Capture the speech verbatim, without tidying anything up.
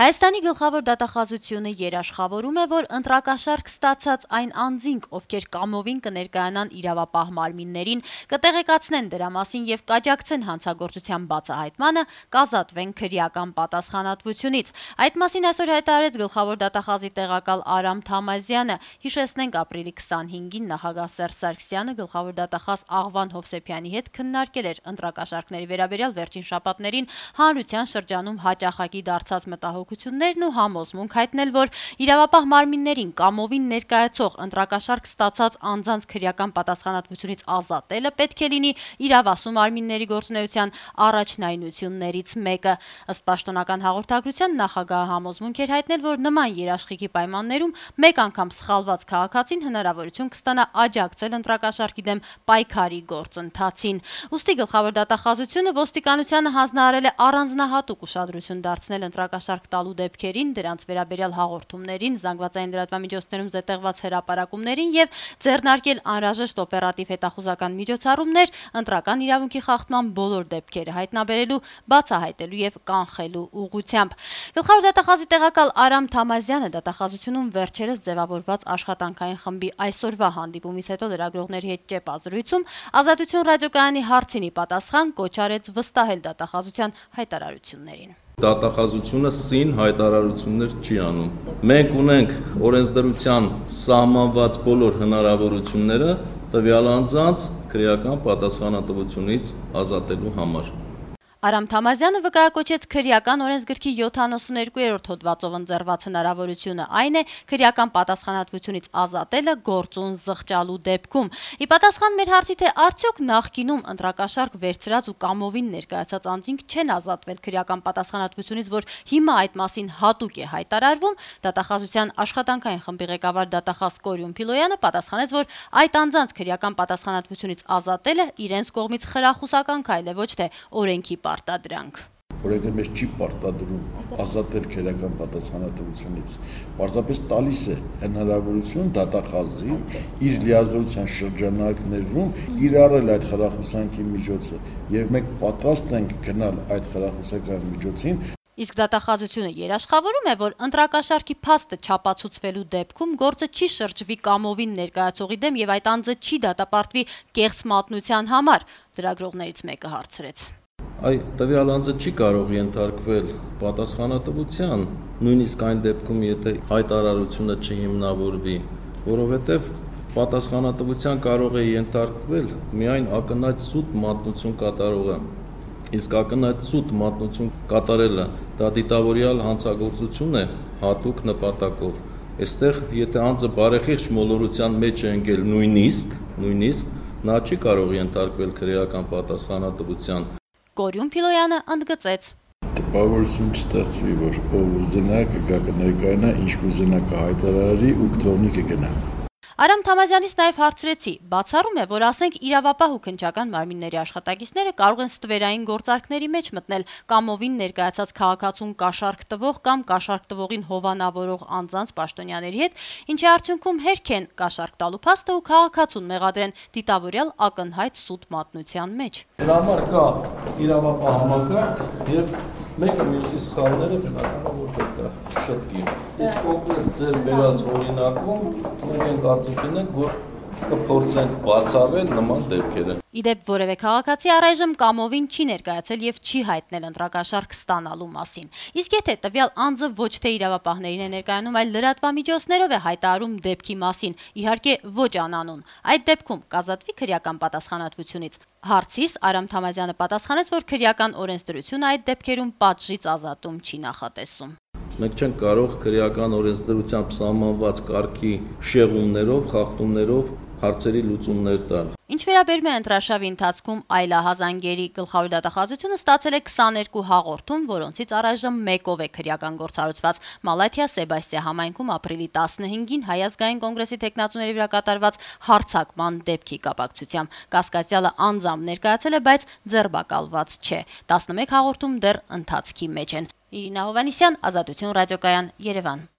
Հայաստանի գլխավոր դատախազությունը երաշխավորում է, որ ընտրակաշարք ստացած այն անձինք, ովքեր կամովին կներկայանան իրավապահ մարմիններին, կտեղեկացնեն դրա մասին եւ կաջակցեն հանցագործության բացահայտմանը, կազատվեն քրեական պատասխանատվությունից։ Այդ մասին այսօր հայտարարեց գլխավոր դատախազի տեղակալ Արամ Թամազյանը։ Հիշեցնենք, ապրիլի քսանհինգին նախագահ Սերժ Սարգսյանը գլխավոր դատախազ Աղվան Հովսեփյանի հետ քննարկել էր ընտրակաշարքների վերաբերյալ վերջին շաբաթներին հանրության շրջանում հաճախակի դարձած մտահոգություններն ու համոզմունք հայտնել, որ իրավապահ մարմիններին կամովին ներկայացող ընտրակաշարք ստացած անձանց քրեական պատասխանատվությունից ազատելը պետք է լինի իրավասու մարմինների գործունեության առաջնայնություններից մեկը։ Ըստ պաշտոնական հաղորդագրության նախագահը համոզմունք էր հայտնել, որ նման երաշխիքի պայմաններում մեկ անգամ սխալված քաղաքացին հնարավորություն կստանա աջակցել ընտրակաշարքի դեմ պայքարի գործընթացին։ Ուստի գլխավոր դատախազությունը ոստիկանությանը հանձնարարել է առանձնահատուկ ուշադրություն դարձնել ընտրակաշարք տալու դեպքերին, դրանց վերաբերյալ հաղորդումներին, զանգվածային լրատվամիջոցներում զետեղված հրապարակումներին եւ ձեռնարկել անհրաժեշտ օպերատիվ հետախուզական միջոցառումներ ընտրական իրավունքի խախտման բոլոր դեպքերը հայտնաբերելու, բացահայտելու եւ կանխելու ուղղությամբ։ Գլխավոր դատախազի տեղակալ Արամ Թամազյանը դատախազությունում վերջերս ձևավորված աշխատանքային խմբի այսօրվա հանդիպումից հետո լրագրողների հետ ճեպազրույցում Ազատություն ռադիոկայանի հարցին ի պատասխան կոչ արեց վստահել դատախազության հայտարարություններին։ Դատախազությունը սին հայտարարություններ չի անում։ Մենք ունենք օրենսդրության սահմանված բոլոր հնարավորությունները տվյալ անձանց քրեական պատասխանատվությունից ազատելու համար։ Արամ Թամազյանը վկայակոչեց քրեական օրենսգրքի յոթանասունյոթերորդ հոդվածով ընձեռված հնարավորությունը, այն է քրեական պատասխանատվությունից ազատելը գործուն զղջալու դեպքում։ Ի պատասխան մեր հարցի, թե արդյոք նախկինում ընտրակաշարք վերցրած ու կամովին ներկայացած անձինք չեն ազատվել քրեական պատասխանատվությունից, որ հիմա այդ մասին հատուկ է հայտարարվում, դատախազության աշխատանքային խմբի ղեկավար դատախազ Կորյուն Փիլոյանը պատասխանեց, որ այդ անձանց քրեական պատասխանատվությունից ազատելը իրենց կողմից խրախուսական քայլ է, ոչ թե օրենքի պարտադրանք։ Օրենքը մեզ չի պարտադրում ազատել քրեական պատասխանատվությունից, պարզապես տալիս է հնարավորություն դատախազին իր լիազորության շրջանակներում կիրառել այդ խրախուսանքի միջոցը, եւ մենք պատրաստ ենք գնալ այդ խրախուսական միջոցին։ Իսկ դատախազությունը երաշխավորում է, որ ընտրակաշարքի փաստը չապացուցվելու դեպքում գործը չի շրջվի կամովին ներկայացողի դեմ եւ այդ անձը չի դատապարտվի կեղծ մատնության համար, լրագրողներից մեկը հարցրեց։ Այ տվյալ անձը չի կարող ենթարկվել պատասխանատվության, նույնիսկ այն դեպքում, եթե հայտարարությունը չհիմնավորվի, որովհետև պատասխանատվության կարող է ենթարկվել միայն ակնհայտ սուտ մատնություն կատարողը։ Իսկ ակնհայտ սուտ մատնություն կատարելը դա դիտավորյալ հանցագործություն է հատուկ նպատակով։ Այստեղ, եթե անձը բարեխիղճ մոլորության մեջ է ընկել նույնիսկ, նույնիսկ նա չի կարող ենթարկվել քրեական պատասխանատվության։ Կորյուն Փիլոյանը ընդգծեց. Տպավորություն չստեղծվի, որ ով ուզենա կգա կներկայանա, ինչ կուզենա կհայտարարի ու կթողնի կգնա։ Արամ Թամազյանից նաև հարցրեցի, բացառում է, որ ասենք իրավապահ ու քննչական մարմինների աշխատակիցները կարող են ստվերային գործարքների մեջ մտնել կամովին ներկայացած քաղաքացուն կաշառք տվող կամ կաշառք տվողին հովանավորող անձանց պաշտոնյաների հետ, ինչի արդյունքում հերքեն կաշառք տալու փաստը ու քաղաքացուն մեղադրեն դիտավորյալ ակնհայտ սուտ մատնության մեջ։ Դրա համար կա իրավապահ համակարգ եւ մեկը մյուսի սխալները բնականաբար որ պետք է շտկի։ Իսկ կոնկրետ ձեր վերած օրինակում մենք ենք կարծիքին ենք, որ կփորձենք բացառել նման դեպքերը։ Իդեպ որևէ քաղաքացի առայժմ կամովին չի ներկայացել եւ չի հայտնել ընտրակաշարք ստանալու մասին։ Իսկ եթե տվյալ անձը ոչ թե իրավապահներին է ներկայանում, այլ լրատվամիջոցներով է հայտարարում դեպքի մասին, իհարկե ոչ անանուն, այդ դեպքում կազատվի քրեական պատասխանատվությունից։ Հարցիս Արամ Թամազյանը պատասխանեց, որ քրեական օրենսդրությունը այդ դեպքերում պատժից ազատում չի նախատեսում։ Մենք չենք կարող քրեական օրենսդրությամբ սահմանված կարգի շեղումներով, խախտումներով հարցերի լուծումներ տալ։ Ինչ վերաբերում է ընտրաշավի ընթացքում այլահազանգերի գլխավոր դատախազությունը ստացել է քսաներկու հաղորդում, որոնցից առայժմ մեկով է քրեական գործառույթված Մալաթիա Սեբաստիա համայնքում ապրիլի տասնհինգին Հայ ազգային կոնգրեսի տեխնացուների վրա կատարված հարձակման դեպքի կապակցությամբ։ Կասկածյալը անձամբ ներկայացել է, բայց ձերբակալված չէ։ տասնմեկ հաղորդում դեռ ընթացքի մեջ են։ Իրինա Հովհաննիսյան, Ազատություն ռադիոկայան, Երևան։